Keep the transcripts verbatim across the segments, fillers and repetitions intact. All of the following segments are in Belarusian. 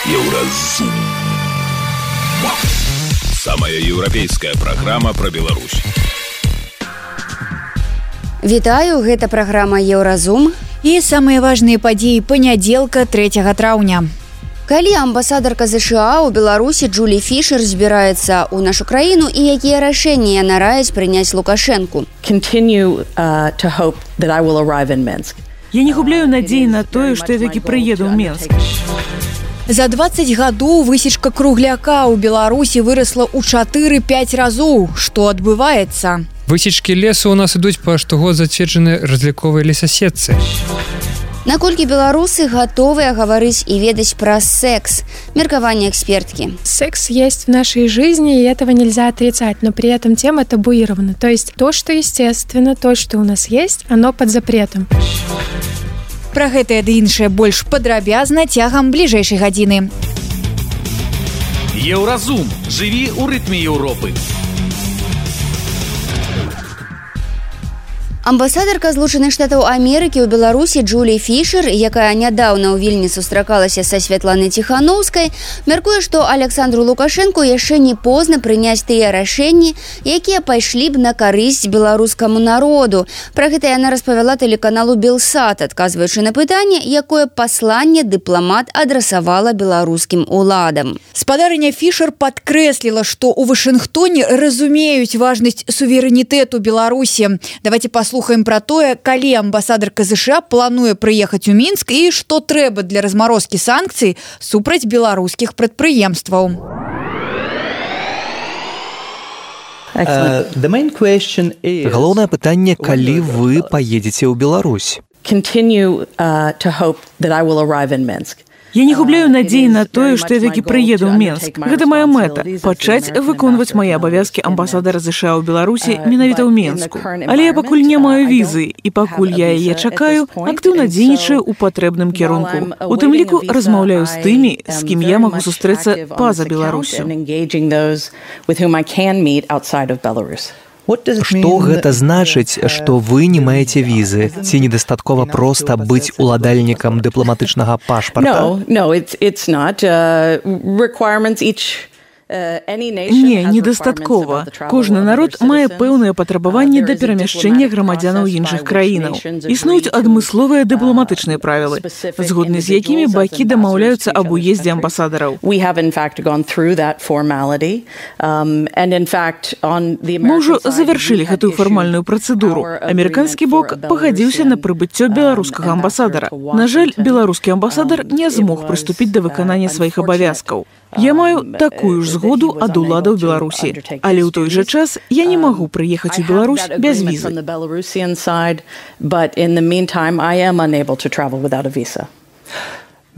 Еўразум. Самая еўрапейская праграма пра Беларусь. Вітаю, гэта праграма Еўразум. І самыя важныя падзеі панядзелка трэцяга траўня. Калі амбасадарка ЗША ў Беларусі Джулі Фішер збіраецца ў нашу краіну і якія рашэнні яна раяць прыняць Лукашэнку? Continue uh, to hope that I will arrive in Minsk. Я не губляю надзеі на тое, што я такі прыеду ў Мінск. За дваццаць гадоў высечка кругляка ў Беларусі вырасла ў чатыры-пяць разоў. Што адбываецца? Высечкі лесу ў нас ідуць па штогод зацверджанай разліковай лесасетцы. Наколькі беларусы готовы гаварыць и ведать про секс? Меркование экспертки. Секс есть в нашей жизни, и этого нельзя отрицать, но при этом тема табуирована. То есть то, что естественно, то, что у нас есть, оно под запретом. Про гэтае ды іншае больш падрабязна цягам бліжэйшай гадзіны. Еўразум. Жыві ў рытме Еўропы. Амбасадарка Злучаных Штатаў Амерыкі ў Беларусі Джулі Фішер, якая нядаўна ў Вільні сустракалася са Святланай Ціханаўскай, мяркуе, што Александру Лукашэнку яшчэ не позна прыняць тыя рашэнні, якія пайшлі б на карысць беларускаму народу. Пра гэта яна распавяла тэлеканалу Белсат, адказваючы на пытанне, якое пасланне дыпламат адрасавала беларускім уладам. Спадарыня Фішер падкрэсліла, што ў Вашынгтоне разумеюць важнасць суверэнітэту Беларусі. Давайте послухаем Слухаем про тое, калі амбасадарка ЗША плануе прыехаць у Мінск і што трэба для размарозкі санкцый супраць беларускіх прадпрыемстваў. Галоўнае пытанне, калі вы паедзеце ў Беларусь? Continue uh, to hope that I will arrive in Minsk. Я не губляю надзеі на тое, што я такі прыеду ў Мінск. Гэта моя мэта – пачаць выконваць мае абавязкі амбасадара ЗША ў Беларусі менавіта ў Мінску. Але я пакуль не маю візы, і пакуль я яе чакаю, актыўна дзейнічаю ў патрэбным кірунку. У тым ліку размаўляю з тымі, з кім я магу сустрэцца па-за Беларусю. Што гэта значыць, што вы не маеце візы? Ці недастаткова проста быць уладальнікам дыпламатычнага пашпарта? No, no, it's, it's not. Uh, requirements each... Не, недастаткова. Кожны народ мае пэўныя патрабаванні да перамяшчэння грамадзянаў іншых краінаў. Існуюць адмысловыя дыпламатычныя правілы, згодны з якімі бакі дамаўляюцца аб уездзе амбасадараў. Мы ўжо завяршылі гэтую фармальную працэдуру. Амерыканскі бок пагадзіўся на прыбыццё беларускага амбасадара. На жаль, беларускі амбасадар не змог прыступіць да выканання сваіх абавязкаў. Я маю такую ж згоду ад уладаў Беларусі, але ў той жа час я не магу прыехаць у Беларусь без візы.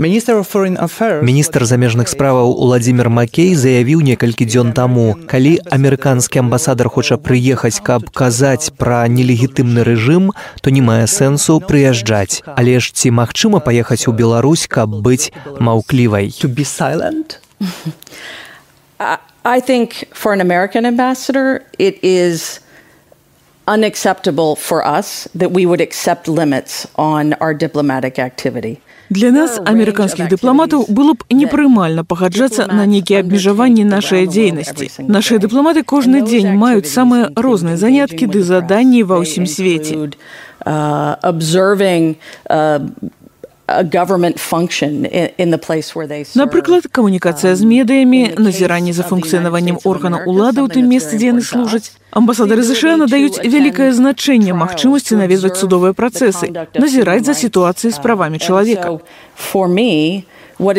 Міністр замежных справаў Уладзімір Макей заявіў некалькі дзён таму, калі амерыканскі амбасадар хоча прыехаць, каб казаць пра нелегітымны рэжым, то не мае сэнсу прыязджаць. Але ж ці магчыма паехаць у Беларусь, каб быць маўклівай? I think for an American ambassador, it is unacceptable for us that we would accept limits on our diplomatic activity. Для нас, амерыканскіх дыпламатаў, было б непрымальна пагаджацца на нейкія абмежаванні нашай дзейнасці. Нашыя дыпламаты кожны дзень маюць самыя розныя заняткі ды заданні ва ўсім свеце. Напрыклад, камунікацыя з медыямі, назіранне за функцыянаваннем органаў улады ў тым месцы, дзе яны служаць. Амбасадары ЗША надаюць вялікае значэнне магчымасці наведваць судовыя працэсы, назіраць за сітуацыяй з правамі чалавека. Для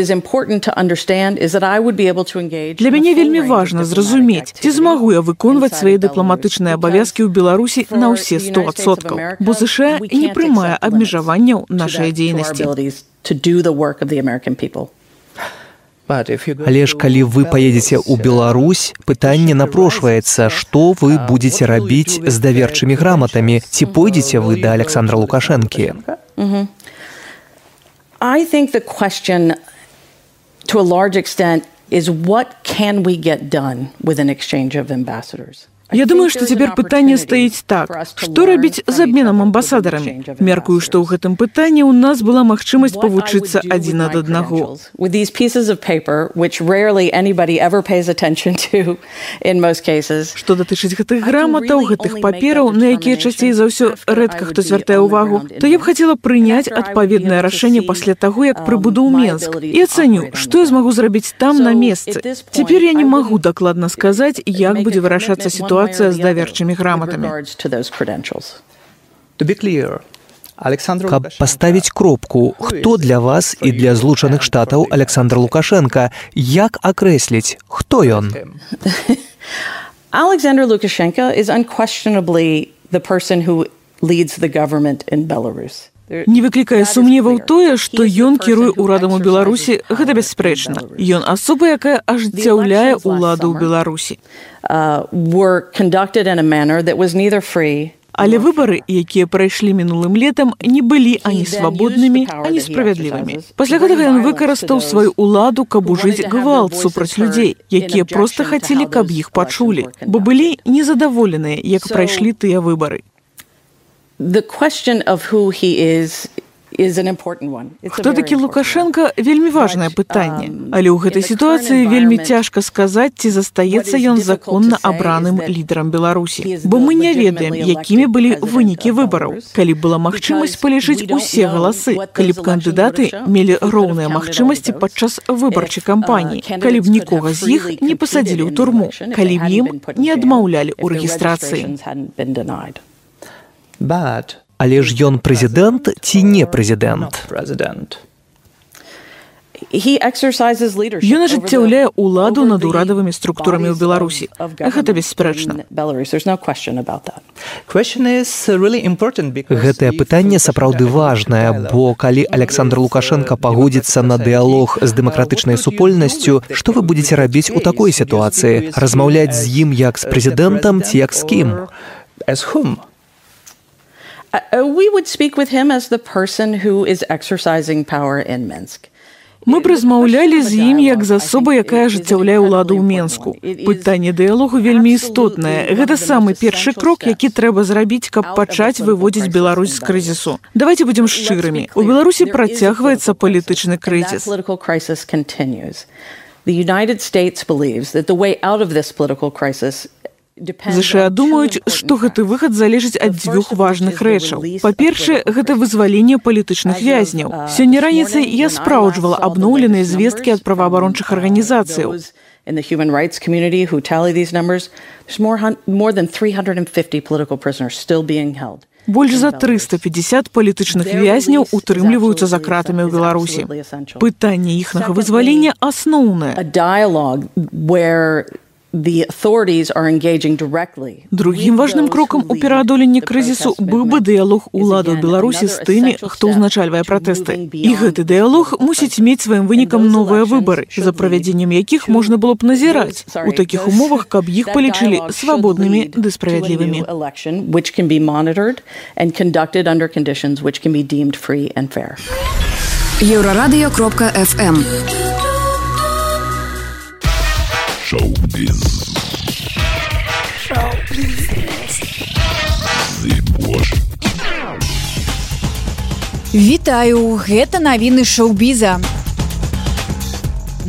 мяне вельмі важна зразумець, ці змагу я выконваць свае дыпламатычныя абавязкі ў Беларусі на ўсе сто адсоткаў, бо ЗША не прымае абмежаванняў нашай дзейнасці. Але ж калі вы паедзеце ў Беларусь, пытанне напрошваецца, што вы будзеце рабіць з даверчымі граматамі, ці пойдзеце вы да Александра Лукашэнкі? I think the question, to a large extent, is what can we get done with an exchange of ambassadors? Я думаю, што цяпер пытанне стаіць так: што рабіць з абменам амбасадарамі? Мяркую, што ў гэтым пытанні ў нас была магчымасць павучыцца адзін ад аднаго. Што датычыць гэтых граматаў, гэтых папераў, на якія часцей за ўсё рэдка хто звяртае ўвагу, то я б хацела прыняць адпаведнае рашэнне пасля таго, як прыбуду ў Менск, і ацэню, што я змагу зрабіць там на месцы. Цяпер я не магу дакладна сказаць, як будзе вырашацца сітуацыя з даверчымі граматамі. Каб паставіць кропку, хто для вас і для Злучаных Штатаў Александр Лукашенко, як акрэсліць, хто ён? Alexander Lukashenko is unquestionably the person who leads the government in Belarus. Не выклікае сумневаў тое, што ён кіруе ўрадам у Беларусі, гэта бясспрэчна. Ён асоба, якая ажыццяўляе ўладу ў Беларусі. Але выбары, якія прайшлі мінулым летам, не былі ані свабоднымі, ані справядлівымі. Пасля гэтага ён выкарыстаў сваю ўладу, каб ужыць гвалт супраць людзей, якія проста хацелі, каб іх пачулі, бо былі незадаволеныя, як прайшлі тыя выбары. The question of who he is is an important one. Хто такі Лукашенко? Вельмі важнае пытанне. Але ў гэтай сітуацыі вельмі цяжка сказаць, ці застаецца ён законна абраным лідарам Беларусі. Бо мы не ведаем, якімі былі вынікі выбараў. Калі была магчымасць палічыць усе галасы, калі б кандыдаты мелі роўныя магчымасці падчас выбарчай кампаніі, калі б нікога з іх не пасадзілі ў турму, калі б ім не адмаўлялі ў рэгістрацыі. Але ж ён прэзідэнт ці не прэзідэнт? Ён ажыццяўляе ўладу над урадавымі структурамі ў Беларусі. Гэта бесспрэчна. Гэтае пытанне сапраўды важнае, бо калі Александр Лукашенко пагодзіцца на дыялог з дэмакратычнай супольнасцю, што вы будзеце рабіць у такой сітуацыі? Размаўляць з ім як з прэзідэнтам ці як з кім? We would speak with him as the person who is exercising power in Minsk. Мы б размаўлялі з ім як з асобай, якая ажыццяўляе ўладу ў Менску. Пытанне дыялогу вельмі істотнае. Гэта самы першы крок, які трэба зрабіць, каб пачаць выводзіць Беларусь з крызісу. Давайце будзем шчырымі. У Беларусі працягваецца палітычны крызіс. The United States believes that the way out of this political crisis ЗША думаюць, што гэты выхад залежыць ад дзвюх важных рэчаў. Па-першае, гэта вызваленне палітычных вязняў. Сёння раніцай я спраўджвала абноўленыя звесткі ад праваабарончых арганізацыяў. Больш за трыста пятьдесят палітычных вязняў утрымліваюцца за кратамі ў Беларусі. Пытанне іхнага вызвалення асноўнае. Другім важным крокам у пераадоленні крызісу быў бы дыялог улады ў Беларусі з тымі, хто ўзначальвае пратэсты. І гэты дыялог мусіць мець сваім вынікам новыя выбары, за правядзеннем якіх можна было б назіраць у такіх умовах, каб іх палічылі свабоднымі ды справядлівымі. Еўрарадыё кропка эф эм. Шоу-біз. Вітаю, гэта навіны шоу-біза.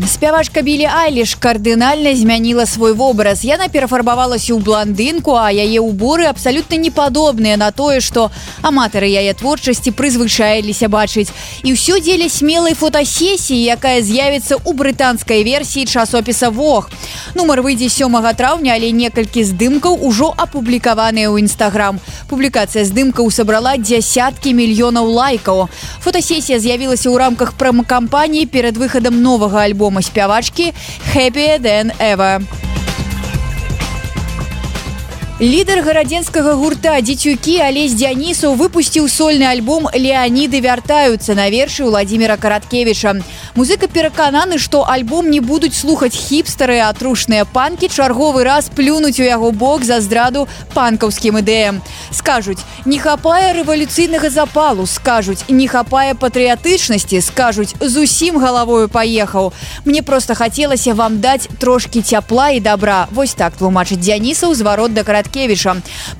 Спявачка Білі Айліш кардынальна змяніла свой вобраз. Яна перафарбавалася ў бландынку, а яе ўборы абсалютна не падобныя на тое, што аматары яе творчасці прызвычаіліся бачыць. І ўсё дзеля смелай фотасесіі, якая з'явіцца ў брытанскай версіі часопіса Vogue. Нумар выйдзе сёмага траўня, але некалькі здымкаў ужо апублікаваныя ў Інстаграм. Публікацыя здымкаў сабрала дзясяткі мільёнаў лайкаў. Фотасесія з'явілася ў рамках промакампаніі перад выхадам новага альбома спявачкі «Happier Than Ever». Лідар гарадзенскага гурта «Дзецюкі» Алесь Дзянісаў выпусціў сольны альбом «Леаніды вяртаюцца» на вершы Владимира Караткевича. Музыка перакананы, што альбом не будуць слухаць хіпстары, а трушныя панкі чарговы раз плюнуць у яго бок за здраду панкаўскім ідэям. Скажуць, не хапае рэвалюцыйнага запалу, скажуць, не хапае патрыятычнасці, скажуць, зусім галавою паехаў. Мне проста хацелася вам даць трошкі цяпла і добра. Вось так тлумачыць Дзянісаў зварот да Караткевича.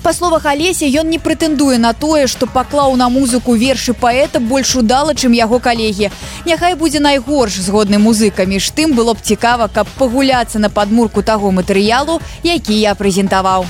Па словах Алеся, ён не прэтэндуе на тое, што паклаў на музыку вершы паэта больш удала, чым яго калегі. Няхай будзе найгорш згодны музыка. Між тым было б цікава, каб пагуляцца на падмурку таго матэрыялу, які я прэзентаваў.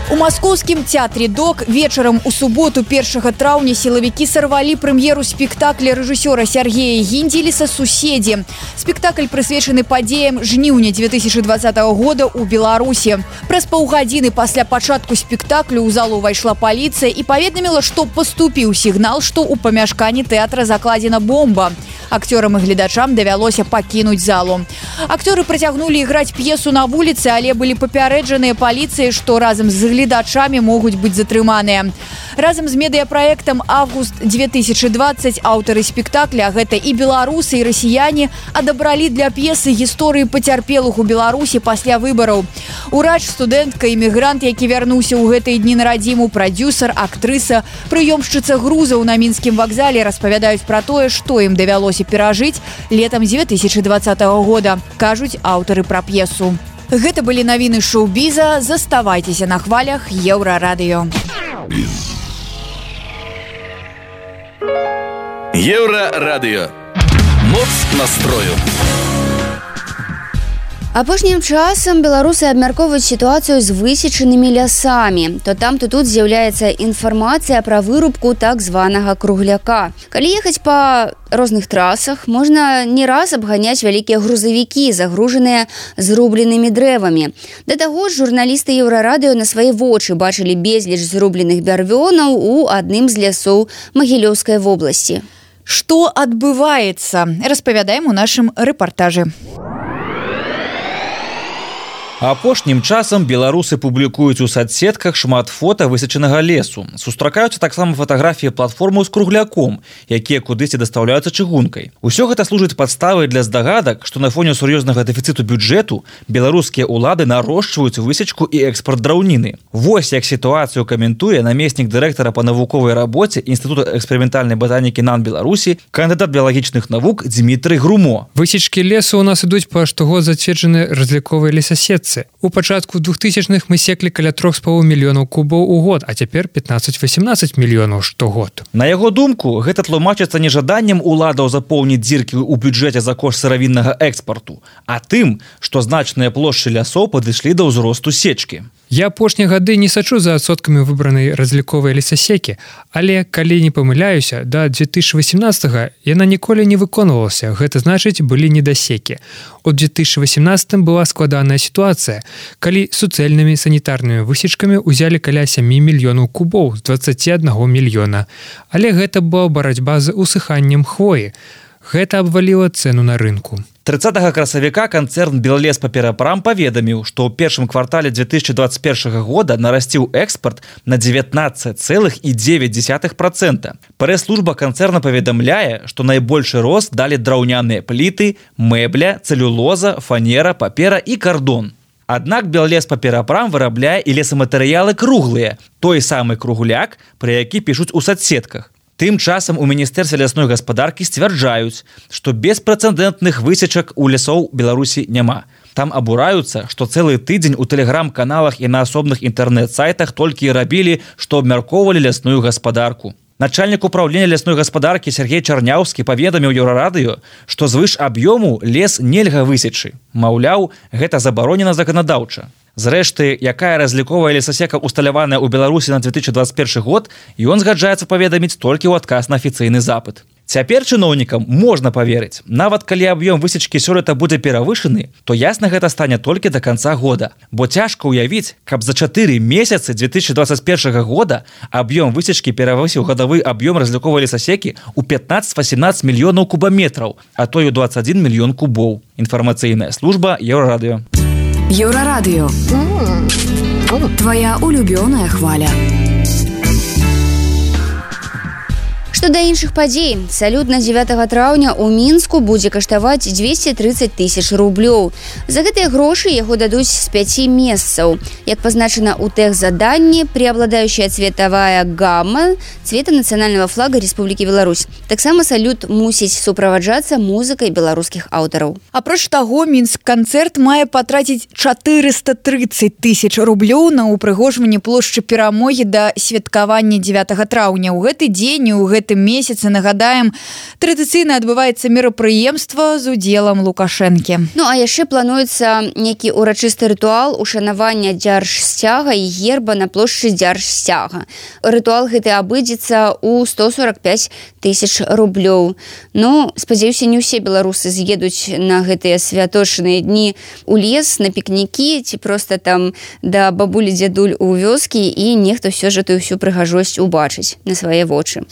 У маскоўскім театре «Док» вечарам у суботу першага траўня сілавікі сарвалі прэм'еру спектакля рэжысёра Сергея Гіндзеліса «Суседзі». Спектакль прысвечаны падзеям жніўня две тысячи двадцатого года ў Беларусі. Праз паўгадзіны пасля пачатку спектаклю ў залу ўвайшла паліцыя і паведаміла, што паступіў сігнал, што ў памяшканні тэатра закладзена бомба. Акцёрам і гледачам давялося пакінуць залу. Акцёры працягнулі іграць п'есу на вуліцы, але былі папярэджаныя паліцыяй, што разам з гледачамі могуць быць затрыманыя. Разам з медыяпраектам «Август две тысячи двадцать» аўтары спектакля, гэта і беларусы, і расіяне, адабралі для п'есы гісторыі пацярпелых у Беларусі пасля выбараў. Урач, студэнтка, імігрант, які вярнуўся ў гэтыя дні на радзіму, прадзюсар, актрыса, прыёмшчыца грузаў на мінскім вакзале распавядаюць пра тое, што ім давялося перажыць летам две тысячи двадцатого года, кажуць аўтары пра п'есу. Гэта былі навіны шоу-біза. Заставайцеся на хвалях Еўрарадыё. Еўрарадыё. Моц настрою. Апошнім часам беларусы абмяркоўваюць сітуацыю з высечанымі лясамі. То там, то тут з'яўляецца інфармацыя пра вырубку так званага кругляка. Калі ехаць па розных трасах, можна не раз абганяць вялікія грузавікі, загружаныя зрубленымі дрэвамі. Да таго ж, журналісты Еўрарадыё на свае вочы бачылі безліч зрубленых бярвёнаў у адным з лясоў Магілёўскай вобласці. Што адбываецца? Распавядаем у нашым рэпартажы. Апошнім часам беларусы публікуюць у садсетках шмат фота высечанага лесу. Сустракаюцца таксама фатаграфіі платформаў з кругляком, якія кудысьці дастаўляюцца чыгункай. Усё гэта служыць падставай для здагадак, што на фоне сур'ёзнага дэфіцыту бюджэту беларускія ўлады нарошчваюць высечку і экспарт драўніны. Вось як сітуацыю каментуе намеснік дырэктара па навуковай рабоце Інстытута эксперыментальнай батанікі НАН Беларусі, кандыдат біялагічных навук Дзмітрый Грумо. Высечкі лесу у нас ідуць па штогод зацверджаныя разліковыя лесасетцы. У пачатку двухтысячных мы секлі каля трох з паловай мільёнаў кубаў у год, а цяпер пятнаццаць-васемнаццаць мільёнаў штогод. На яго думку, гэта тлумачыцца не жаданнем уладаў запоўніць дзіркі ў бюджэце за кошт сыравіннага экспарту, а тым, што значныя плошчы лясоў падышлі да ўзросту сечкі. Я апошнія гады не сачу за адсоткамі выбранай разліковай лесасекі, але, калі не памыляюся, да две тысячи восемнадцатого яна ніколі не выконвалася, гэта значыць, былі недасекі. У две тысячи восемнадцатым была складаная сітуацыя, калі суцэльнымі санітарнымі высечкамі ўзялі каля сямі мільёнаў кубоў з дваццаці аднаго мільёна. Але гэта была барацьба з усыханнем хвоі. Гэта абваліла цэну на рынку. трыццатага красавіка канцэрн «Беллес-Паперапрам» паведаміў, што ў першым квартале две тысячи двадцать первого года нарасціў экспарт на дзевятнаццаць цэлых дзевяць дзесятых процента. Прэс-служба канцэрна паведамляе, што найбольшы рост далі драўняныя пліты, мэбля, цэлюлоза, фанера, папера і кардон. Аднак «Беллес-Паперапрам» вырабляе і лесаматэрыялы круглыя, той самы кругляк, пра які пішуць у садсетках. Тым часам у міністэрстве лясной гаспадаркі сцвярджаюць, што беспрэцэдэнтных высечак у лясоў Беларусі няма. Там абураюцца, што цэлы тыдзень у тэлеграм-каналах і на асобных інтэрнэт-сайтах толькі і рабілі, што абмяркоўвалі лясную гаспадарку. Начальнік управлення лясной гаспадаркі Сергей Чарняўскі паведаміў Еўрарадыё, што звыш аб'ёму лес нельга высечы. Маўляў, гэта забаронена заканадаўча. Зрэшты, якая разліковая лесасека усталяваная ў Беларусі на две тысячи двадцать первый год, ён згаджаецца паведаміць толькі ў адказ на афіцыйны запыт. Цяпер чыноўнікам можна поверыць. Нават калі аб'ём высечкі сёлета будзе перавышаны, то ясна гэта стане толькі до конца года. Бо цяжка ўявіць, каб за чатыры месяцы две тысячи двадцать первого года аб'ём высечкі перавысіў гадавы аб'ём разліковай лесасекі ў пятнаццаць-васемнаццаць мільёнаў кубаметраў, а то і ў двадцать один мільён кубоў. Інфармацыйная служба Еўрарадыё. Еўрарадыё. Твоя улюбёная хваля. Што да іншых падзей, салют на дзевятага траўня ў Мінску будзе каштаваць дзвесце трыццаць тысяч рублёў. За гэтыя грошы яго дадуць з пяці месцаў. Як пазначана ў тэхзаданні, преобладающая цветавая гамма цвета нацыянальнага флага Рэспублікі Беларусь. Таксама салют мусіць суправаджацца музыкай беларускіх аўтараў. Апроч таго, Мінск-канцэрт мае патраціць чатырыста трыццаць тысяч рублёў на ўпрыгожванне плошчы Перамогі да святкавання дзевятага траўня. У гэты дзень і ў гэты месяцы, нагадаем, традыцыйна адбываецца мерапрыемства з удзелам Лукашэнкі. Ну, а яшчэ плануецца нейкі урачысты рытуал ушанавання дзяржсцяга і герба на плошчы дзяржсцяга. Рытуал гэты абыдзецца ў сто сорок пяць тысяч рублёў. Ну, спадзяюся, не ўсе беларусы з'едуць на гэтыя святочныя дні ў лес, на пікнікі, ці проста там да бабулі-дзядуль у вёскі, і нехта ўсё ж тую ўсю прыгажосць убачыць на свае вочы.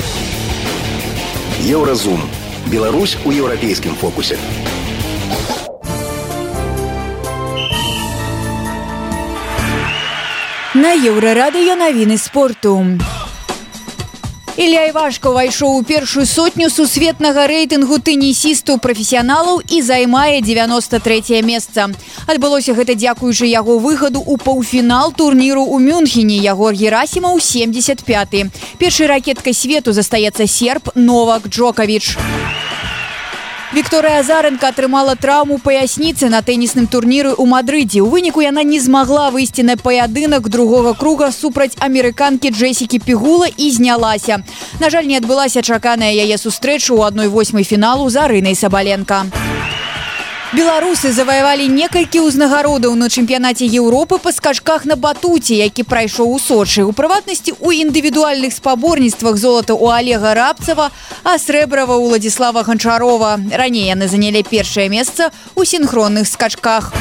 Еўразум. Беларусь у еўрапейскім фокусе. На Еўрарадыё навіны спорту. Ілля Івашка ўвайшоў у першую сотню сусветнага рэйтынгу тэнісістаў-прафесіяналаў і займае дзевяноста трэцяе месца. Адбылося гэта дзякуючы яго выхаду ў паўфінал турніру ў Мюнхене. Ягор Герасімаў семьдесят пяты. Першай ракеткай свету застаецца серб Новак Джоковіч. Вікторыя Азаренка атрымала траўму паясніцы на тэнісным турніры ў Мадрыдзе. У выніку яна не змагла выйсці на паядынак другога круга супраць амерыканкі Джесікі Пігула і знялася. На жаль, не адбылася чаканая яе сустрэча ў адной восьмай фіналу з Арынай Сабаленка. Беларусы заваявалі некалькі ўзнагародаў на чэмпіянаце Еўропы па скачках на батуце, які прайшоў у Сочы. У прыватнасці, у індывідуальных спаборніцтвах золата ў Олега Рабцева, а срэбрава ў Уладзіслава Ганчарова. Раней яны занялі першае месца ў сінхронных скачках.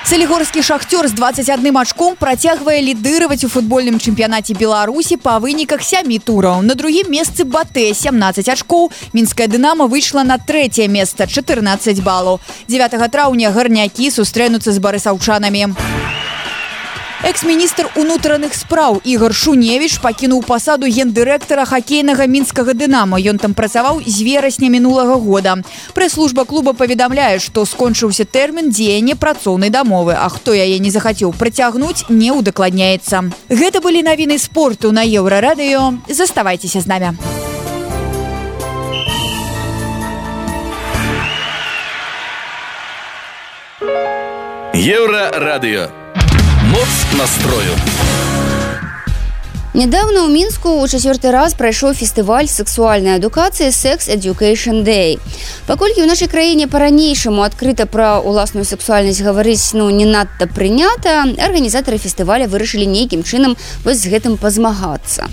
Салігорскі «Шахтёр» з дваццаць адным ачком працягвае лідыраваць у футбольным чэмпіянаце Беларусі па выніках сямі тураў. На другім месцы «Батэ» сямнаццаць ачкоў. Мінская «Дынама» выйшла на трэцяе месца чатырнаццаць балаў. дзевятага траўня гарнякі сустрэнуцца з барысаўчанамі. Экс-міністр унутраных спраў Ігор Шуневіч пакінуў пасаду гендырэктара хакейнага мінскага «Дынама». Ён там працаваў з верасня мінулага года. Прэс-служба клуба паведамляе, што скончыўся тэрмін дзеяння працоўнай дамовы, а хто яе не захацеў працягнуць, не ўдакладняецца. Гэта былі навіны спорту на Еўрарадыё. Заставайцеся з намі. Еўрарадыё. Моц настрою. Нядаўна ў Мінску ў чацвёрты раз прайшоў фестываль сексуальнай адукацыі Sex Education Day. Паколькі ў нашай краіне па-ранейшаму адкрыта пра ўласную сексуальнасць гаварыць ну, не надта прынята, арганізатары фестываля вырашылі нейкім чынам вось з гэтым пазмагацца.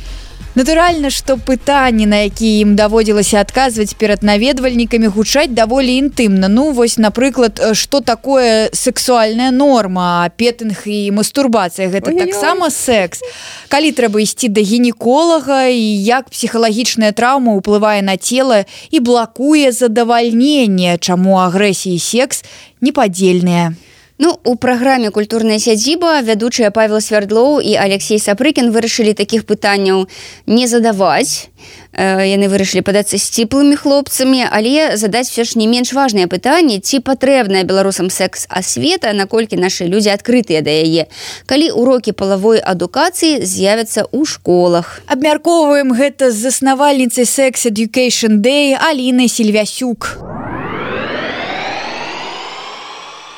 Натуральна, што пытанні, на якія ім даводзілася адказваць перад наведвальнікамі, гучаць даволі інтымна. Ну, вось, напрыклад, што такое сексуальная норма, петынг і мастурбацыя, гэта таксама секс. Калі трэба ісці да гінеколага і як псіхалагічная траўма ўплывае на цела і блакуе задавальненне, чаму агрэсія і секс непадзельныя. Ну, у праграме «Культурная сядзіба» вядучыя Павел Свярдлоў і Алексей Сапрыкін вырашылі такіх пытанняў не задаваць. Яны вырашылі падацца сціплымі хлопцамі, але задаць все ж не менш важнае пытанне, ці патрэбная беларусам секс-асвета, наколькі нашы людзі адкрытыя да яе, калі урокі палавой адукацыі з'явяцца ў школах. Абмяркоўваем гэта з заснавальніцай Sex Education Day Алінай Сільвясюк.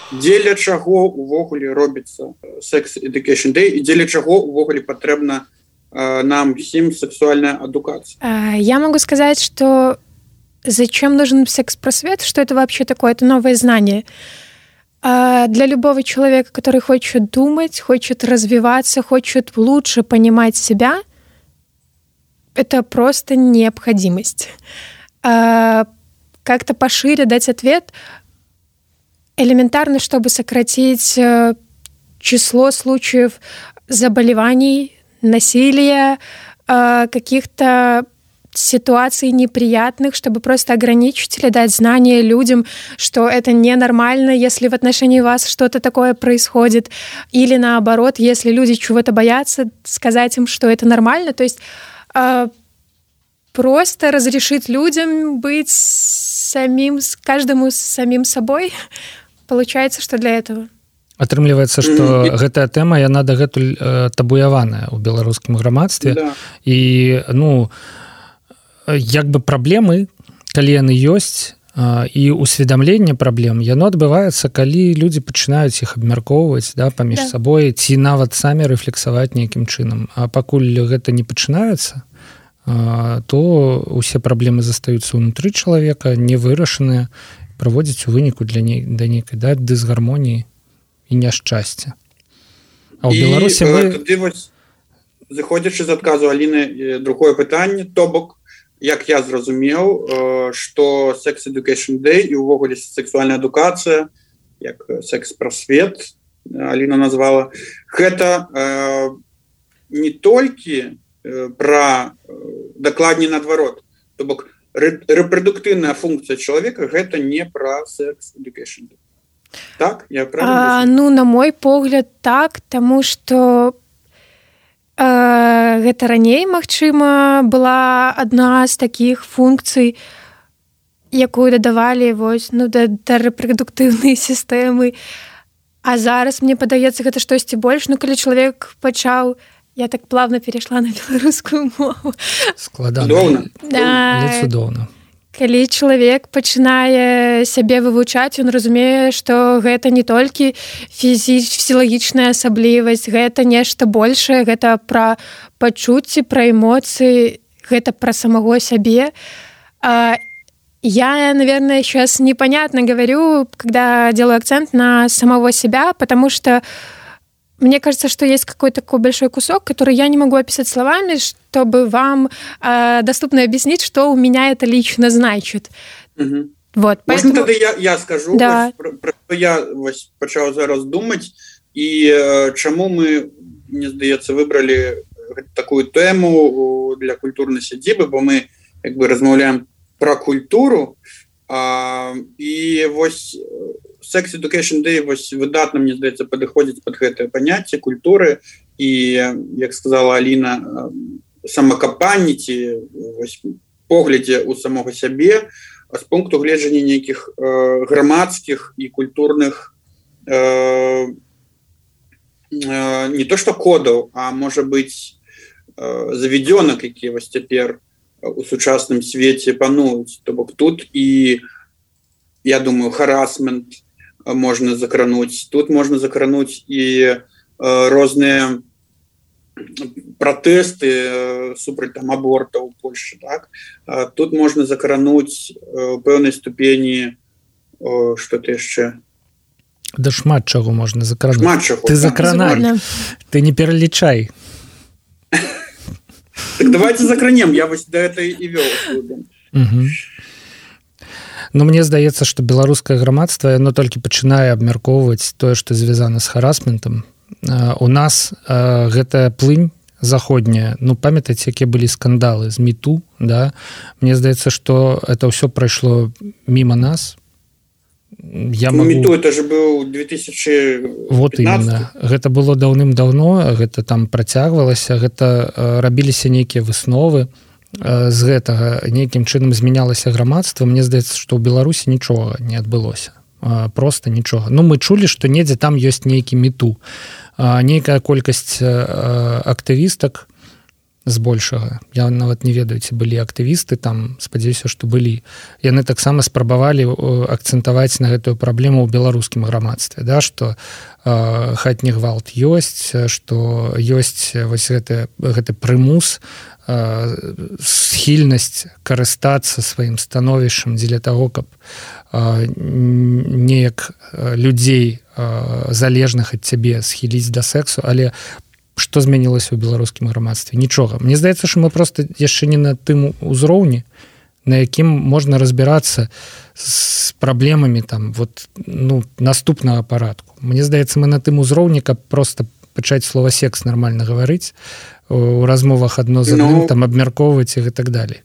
Дзеля чаго увогуле робіцца Sex Education Day і дзеля чаго увогуле патрэбна э, нам всем сексуальная адукация? Я могу сказать, что зачем нужен секс-просвет, что это вообще такое, это новое знание. Для любого человека, который хочет думать, хочет развиваться, хочет лучше понимать себя, это просто необходимость. Как-то пошире дать ответ – элементарно, чтобы сократить число случаев заболеваний, насилия, каких-то ситуаций неприятных, чтобы просто ограничить или дать знание людям, что это ненормально, если в отношении вас что-то такое происходит, или наоборот, если люди чего-то боятся, сказать им, что это нормально. То есть э, просто разрешить людям быть самим, каждому самим собой. Получается, что для этого. Атрымліваецца, што mm-hmm. гэтая тэма, яна дагэтуль э, табуяваная ў беларускім грамадстве. Да. І, ну, як бы праблемы, калі яны ёсць, э, і усведамленне праблем, яно адбываецца, калі людзі пачынаюць іх абмяркоўваць, да, паміж да. сабой, ці нават самі рэфлексаваць нейкім чынам. А пакуль гэта не пачынаецца, э, то ўсе праблемы застаюцца ўнутры чалавека, не вырашаныя, праводзяць у выніку для ней, да нейкай, да, дысгармоніі і няшчасця. А ў Беларусі мы... Тады вось, заходзячы з адказу Аліны, другое пытанне, то бок, як я зразумеў, што Sex Education Day і ўвогуле сексуальная адукацыя, як секс-прасвет, Аліна назвала, гэта э, не толькі пра, дакладней наадварот, то бок, рэпрадуктыўная функцыя чалавека гэта не пра Sex Education Day. Так, я правильно? А, ну, на мой погляд, так, таму што э, гэта раней, магчыма, была адна з такіх функцый, якую дадавалі вось, ну, да, да рэпрадуктыўнай сістэмы. А зараз, мне падаецца, гэта штосьці больш. Ну, калі чалавек пачаў... Я так плавно перайшла на беларускую мову. Складана. Да. Але цудоўна. Калі чалавек пачынае сябе вывучаць, ён разумее, што гэта не толькі фізілагічная асаблівасць, гэта нешта большае, гэта пра пачуцці, пра эмоцыі, гэта пра самого сябе. Я, наверное, сейчас непонятно говорю, когда делаю акцент на самого себя, потому что мне кажется, что есть какой-то такой большой кусок, который я не могу описать словами, чтобы вам э, доступно объяснить, что у меня это лично значит. Угу. Вот, поэтому... Можно тогда я, я скажу, да. про, про что я начал зараз думать, и э, чему мы, мне здаецца, выбрали такую тему для культурной сядзібы, бо мы как бы размаўляем про культуру, а, и вось Sex Education Day вось выдатна, мне здаецца, падыходзіць пад гэтае паняцце культуры і, як сказала Аліна, самакапанні ці поглядзе ў самога сябе з пункту гледжання нейкіх э, грамадскіх і культурных э, э, не то што кодаў, а можа быць э, заведёнак, які вось цяпер у сучасным свеце пануюць. То бок тут і, я думаю, харасмент можно закрануть. Тут можно закрануть и э, розныя протесты э, супраць там аборта ў Польшчы, так? А тут можно закрануть э, пэўнай ступені э, что-то яшчэ. Да шмат чаго можна закрануть. Шмат чаго. Ты закранай. Ты не пералічай. Так давайте закранем. Я вось да гэта і вёў. Угу. Ну, мне здаецца, што беларускае грамадства, яно толькі пачынае абмяркоўваць тое, што звязана з харасментам. У нас э, гэтая плынь заходняя, ну, памятаеце, якія былі скандалы з міту, да? Мне здаецца, што это ўсё прайшло міма нас. Я ну, могу... міту, это же быў две тысячи пятнадцатый. Вот именно. Гэта было даўным-даўно, гэта там працягвалася, гэта э, рабіліся нейкія высновы, з гэтага нейкім чынам змянялася грамадства. Мне здаецца, што ў Беларусі нічога не адбылося, просто нічога. Ну, мы чулі, што недзе там ёсць нейкі міту, нейкая колькасць актывістак збольшага. Я нават не ведаю, ці былі актывісты там, спадзяюся, што былі. Яны таксама спрабавалі акцэнтаваць на гэтую праблему ў беларускім грамадстве, да, што хатні гвалт ёсць, што ёсць вось гэты, гэты прымус, схільнасць карыстацца сваім становішчам дзеля таго, каб неяк людзей залежных ад цябе схіліць да сексу. Але што змянілася ў беларускім грамадстве? Нічога. Мне здаецца, што мы проста яшчэ не на тым узроўні, на якім можна разбірацца з праблемамі там, вот, ну, наступнага парадку. Мне здаецца, мы на тым узроўні, каб проста пачаць слова секс нармальна гаварыць, у размовах адно з адным, ну, там абмяркоўваць і так далей.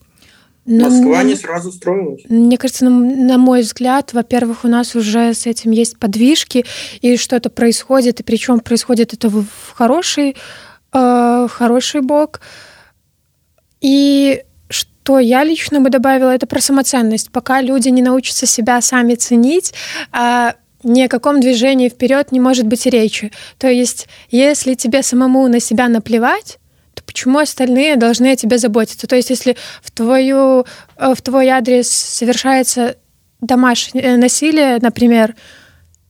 Москва не сразу строилась. Мне кажется, на, на мой взгляд, во-первых, у нас уже с этим есть подвижки, и что-то происходит, и причем происходит это в, в хороший, э, хороший бок. И что я лично бы добавила, это про самоценность. Пока люди не научатся себя сами ценить, э, ни о каком движении вперед не может быть и речи. То есть, если тебе самому на себя наплевать, то почему остальные должны о тебе заботиться? То есть, если в, твою, в твой адрес совершается домашнее насилие, например,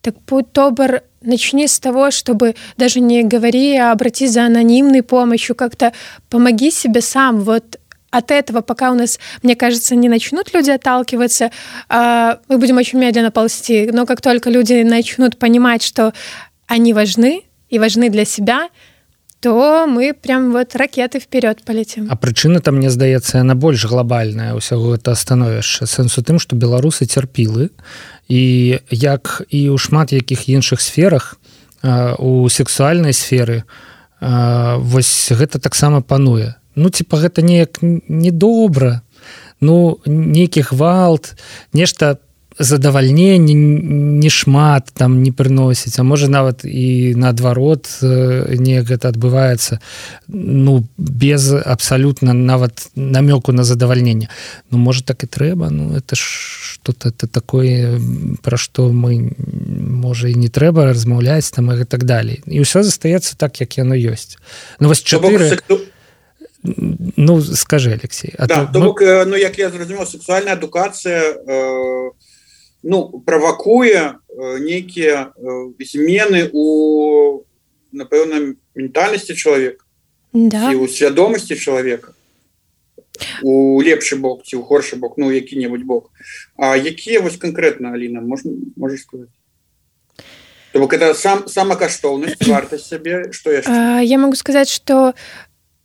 так будь добр, начни с того, чтобы даже не говори, а обратись за анонимной помощью, как-то помоги себе сам. Вот от этого, пока у нас, мне кажется, не начнут люди отталкиваться, мы будем очень медленно ползти. Но как только люди начнут понимать, что они важны и важны для себя, то мы прям вот ракеты вперед полетим. А прычына там, мне здаецца, яна больш глобальная ўсяго гэта становішча. Сэнс у тым, што беларусы цярпілы, і як і ў шмат якіх іншых сферах, у сексуальнай сферы, вось гэта таксама пануе. Ну, типа, гэта неяк недобра, ну, нейкі гвалт, нешта задавальненне не шмат там не прыносіць, а можа нават і наадварот неяк гэта адбываецца, ну, без абсалютна нават намёку на задавальненне. Ну, можа, так і трэба, ну, это ж что-то это такое, пра што мы, можа, і не трэба размаўляць там і так далей. І ўсё застаецца так, як яно ёсць. Ну, вось чатыры... Ну, скажи, Алексей. А да, то бок, мы... ну, як я зразумеў, сексуальная адукацыя э... ну, правакуе нейкія змены у, напэўна, ментальнасці чалавека, да. ці ў свядомасці чалавека, у лепшы бок ці ў горшы бок, ну, які-небудзь бок. А якія вось канкрэтна, Аліна, можна, можаш сказаць? То бок это сам, самакаштоўнасць, вартасць сябе, што яшчэ? А, я могу сказать, что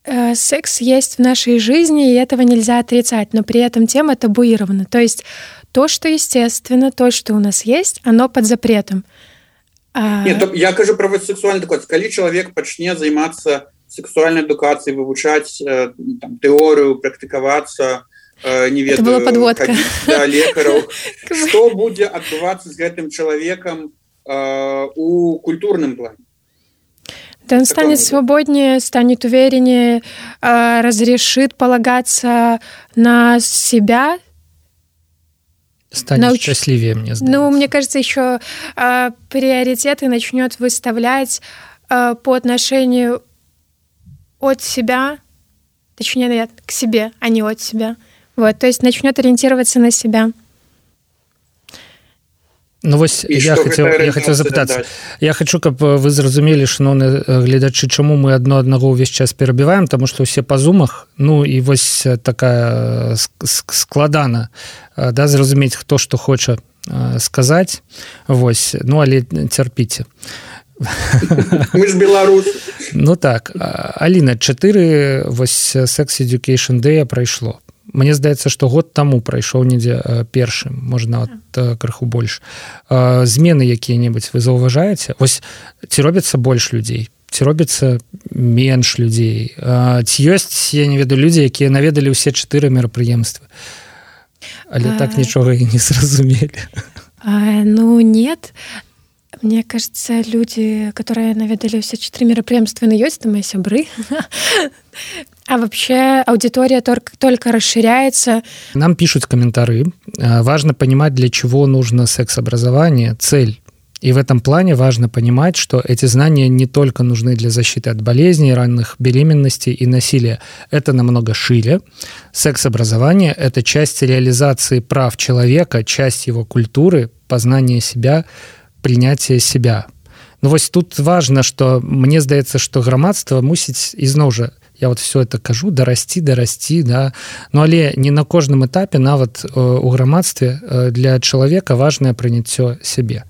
э, секс есть в нашей жизни, и этого нельзя отрицать, но при этом тема табуирована. То есть то, что естественно, то, что у нас есть, оно под запретом. А... Нет, я кажу про сексуальную адукацию. Коли человек почне заниматься сексуальной адукацией, вывучать э, там, теорию, практиковаться, э, не ведаю, это была подводка. Ходить, да, лекаров, что будет отбываться с этим человеком э, у культурном плане? Да, он станет свободнее, станет увереннее, э, разрешит полагаться на себя. Станет Науч... счастливее, мне сдается. Ну, мне кажется, еще э, приоритеты начнет выставлять э, по отношению от себя, точнее, нет, к себе, а не от себя. Вот, то есть начнет ориентироваться на себя. Ну вось я хотел, я хотел запытацца. Я хочу, каб вы зразумелі, шановныя гледачы, чаму мы адно аднаго ўвесь час перабіваем, таму што ўсе па зумах, ну і вось такая складана, да, зразумець, хто што хоча сказаць. Вось, ну але цярпіце. Мы ж беларусы. Ну так, Аліна, чатыры вось Sex Education Day прайшло. Мне здаецца, што год таму прайшоў недзе першым, можна нават крыху больш. Змены якія-небудзь вы заўважаеце? Вось ці робіцца больш людзей? Ці робіцца менш людзей? Ці ёсць, я не ведаю, людзі, якія наведалі ўсе чатыры мерапрыемствы? Але а... так нічога і не зразумелі. А, ну, нет. Мне кажется, люди, которые наведали все четыре мероприемства на ёсць, это мои сябры. А вообще аудитория только, только расширяется. Нам пишут комментарии. Важно понимать, для чего нужно секс-образование, цель. И в этом плане важно понимать, что эти знания не только нужны для защиты от болезней, ранних беременностей и насилия. Это намного шире. Секс-образование – это часть реализации прав человека, часть его культуры, познания себя, принятия себя. Ну вось тут важно, что мне здаецца, что грамадства мусіць ізноў жа, я вот все это кажу, дарасці, дарасці, да. Ну але не на кожным этапе, нават у грамадстве для чалавека важнае прыняццё сябе.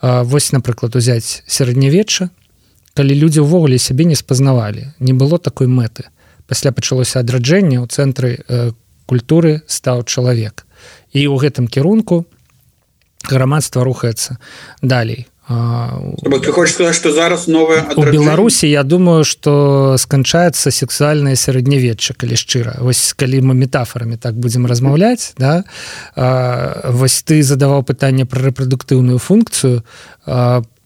Вось, напрыклад, узяць сярэднявечча, калі людзі ўвогуле сябе не спазнавалі, не было такой мэты. Пасля пачалося адраджэнне, ў цэнтры культуры стаў чалавек. І ў гэтым кірунку грамадства рухаецца далей. Ты хочаш сказаць, што зараз новая у Беларусі, я думаю, што сканчаецца сексуальнае сярэднявечча, калі шчыра. Вось калі мы метафорамі так будзем размаўляць, да? Вось ты задаваў пытанне пра рэпрадуктыўную функцыю,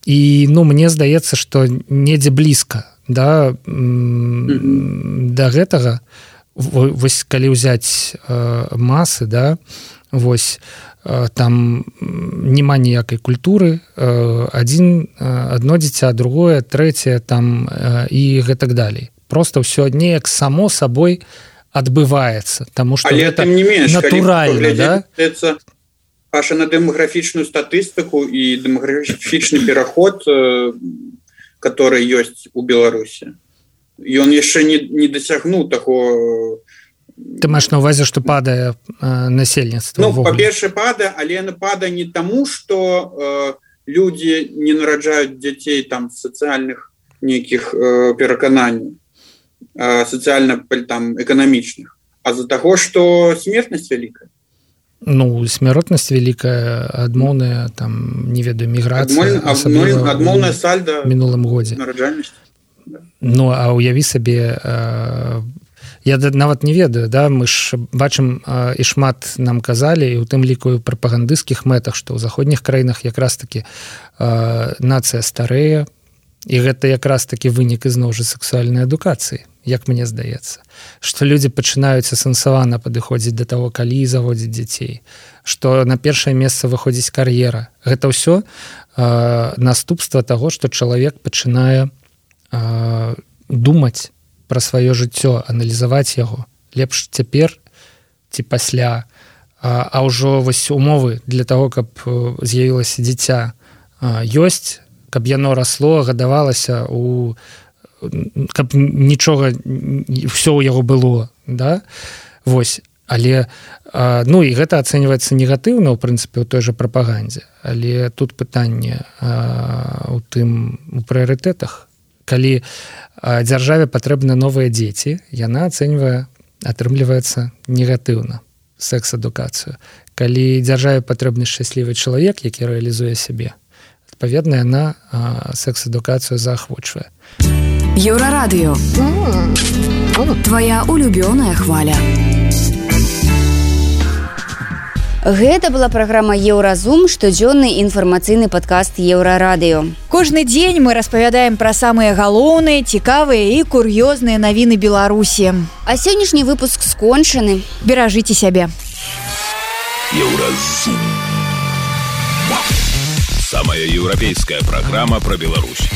і ну мне здаецца, што недзе блізка, да, mm-hmm. да гэтага. Вось калі ўзяць масы, да, вось там няма ніякай культуры, адзін, адно дзіця, другое, трэцяе там і гэтак далей. Просто ўсё неяк само сабой адбываецца, таму што гэта натуральна, да? Паша, на дэмаграфічную статыстыку і дэмаграфічны пераход, который ёсць у Беларусі. Ён яшчэ не, не дасягнуў такого. Ты маеш на ўвазе, што падае э, насельніцтва? Ну, па-першае, падае, але яна падае не таму, што э, людзі не нараджаюць дзяцей там сацыяльных нейкіх э, перакананняў, э, сацыяльна там эканамічных, а з-за таго, што смертнасць вялікая. Ну, смяротнасць вялікая, адмоўная, там, не ведаю, міграцыя, Адмоль, адмоўная сальда мінулым годзе. Нараджальнасць. Да. Ну, а ўяві сабе... Э, Я нават не ведаю, да, мы ж бачым і шмат нам казалі, і ў тым ліку ў прапагандысцкіх мэтах, што ў заходніх краінах якраз такі нацыя старэе, і гэта якраз такі вынік ізноў жа сексуальнай адукацыі, як мне здаецца. Што людзі пачынаюць асэнсавана падыходзіць да таго, калі заводзіць дзяцей, што на першае месца выходзіць кар'ера. Гэта ўсё наступства таго, што чалавек пачынае думаць пра сваё жыццё, аналізаваць яго. Лепш цяпер ці пасля. А, а ўжо вось умовы для таго, каб з'явілася дзіця, ёсць, каб яно расло, гадавалася, у... каб нічога, ўсё ў яго было. Да? Вось. Але, ну, і гэта ацэньваецца негатыўна, ў прынцыпе, у той жа прапагандзе. Але тут пытанне у тым, у прыярытэтах. Калі дзяржаве патрэбны новыя дзеці, яна ацэньвае, атрымліваецца негатыўна секс-адукацыю. Калі дзяржаве патрэбны шчаслівы чалавек, які рэалізуе сябе, адпаведна, яна секс-адукацыю заахвочвае. Еўрарадыё. Твая улюбёная хваля. Гэта была праграма «Еўразум», штодзённы інфармацыйны падкаст «Еўрарадыё». Кожны дзень мы распавядаем пра самыя галоўныя, цікавыя і кур'ёзныя навіны Беларусі. А сённяшні выпуск скончаны. Беражыце сябе. «Еўразум». Самая еўрапейская праграма пра Беларусь.